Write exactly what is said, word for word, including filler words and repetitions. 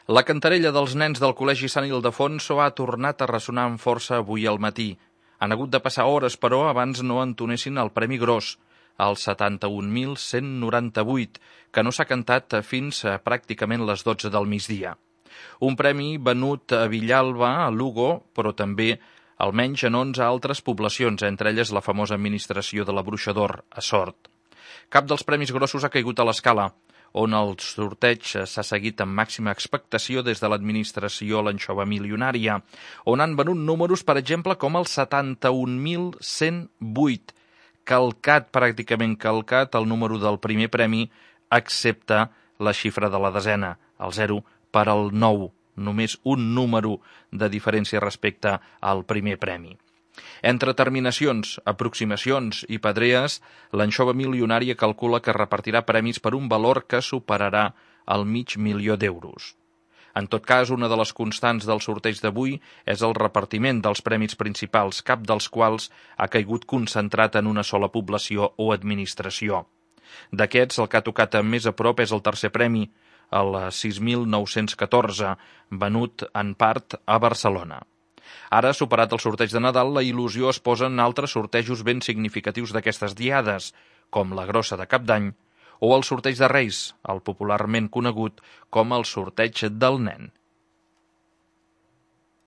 La cantarella dels nens del Col·legi Sant Ildefonso ha tornat a ressonar amb força avui al matí. Han hagut de passar hores, però, abans no entonessin el premi gros, el setanta-un mil cent noranta-vuit, que no s'ha cantat fins a pràcticament les dotze del migdia. Un premi venut a Villalba, a Lugo, però també almenys en onze altres poblacions, entre elles la famosa administració de la Bruixador, a Sort. Cap dels premis grossos ha caigut a l'Escala, on el sorteig s'ha seguit amb màxima expectació des de l'administració l'anxova milionària, on han venut números, per exemple, com el setanta-un mil cent vuit, calcat, pràcticament calcat, el número del primer premi, excepte la xifra de la desena, el zero per al nou, només un número de diferència respecte al primer premi. Entre terminacions, aproximacions i pedrees, l'anxova milionària calcula que repartirà premis per un valor que superarà el mig milió d'euros. En tot cas, una de les constants del sorteig d'avui és el repartiment dels premis principals, cap dels quals ha caigut concentrat en una sola població o administració. D'aquests, el que ha tocat més a prop és el tercer premi, el sis mil nou-cents catorze, venut en part a Barcelona. Ara, superat el sorteig de Nadal, la il·lusió es posa en altres sortejos ben significatius d'aquestes diades, com la grossa de Cap d'Any o el sorteig de Reis, el popularment conegut com el sorteig del nen.